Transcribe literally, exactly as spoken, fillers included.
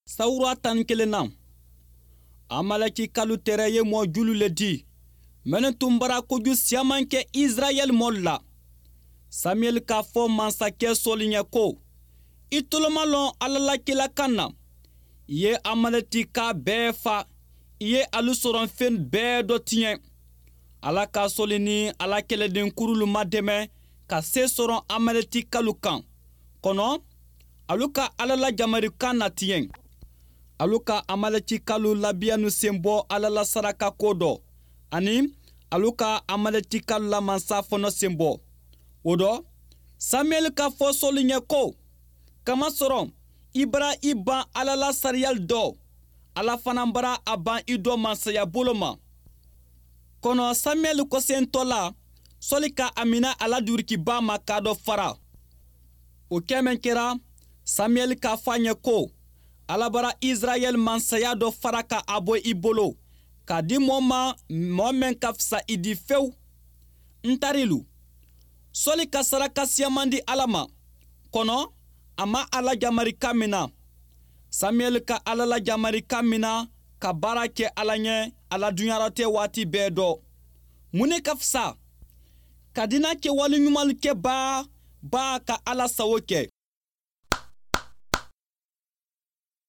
Sawura tan ni kelen na, Amalɛkikalu tɛrɛ ye mɔɔ julu le di minnu tun bara koju siyaman kɛ Israɛl mɔlu la. Samiyɛli k'a fɔ masakɛ Sɔli ɲɛ ko: "I tolomalɔn Ala la kila kan na. I ye Amalɛkika bɛɛ fa, i ye alu sɔrɔfɛn bɛɛ dɔ tiɲɛ." Ala ka Sɔli ni a la kɛlɛden kurulu madɛmɛ ka se sɔrɔ Amalɛkikalu kan, kɔnɔ alu ka Ala la jamarikan natiɲɛ. Alu ka Amalɛkikalu labiyanu sen bɔ Ala la saraka ko dɔ, ani alu ka Amalɛkikalu la mansa fɔnɔ sen bɔ. O dɔ, Samiyɛli k'a fɔ Sɔli ɲɛ ko: "Kamasɔrɔ i bara i ban Ala la sariyali dɔ, Ala fana bara a ban i dɔ mansaya bolo ma." Kɔnɔ Samiyɛli kɔsentɔ la, Sɔli ka a mina a la durukiba ma k'a dɔ fara. O kɛ mɛn kɛra, Samiyɛli k'a fɔ a ɲɛ ko: "Ala bara Israɛl mansaya dɔ fara ka a bɔ i bolo k'a di mɔɔ ma, mɔɔ mɛn ka fisa i di fewu." N tarilu, Sɔli ka saraka siyaman di Ala ma, kɔnɔ a ma Ala jamarikan mina. Samiyɛli ka Ala la jamarikan mina ka baara kɛ Ala ɲɛ a la duɲaratɛ waati bɛɛ dɔ. Mun ne ka fisa? Ka dina kɛwale ɲuman kɛ baa baa ka Ala sago kɛ.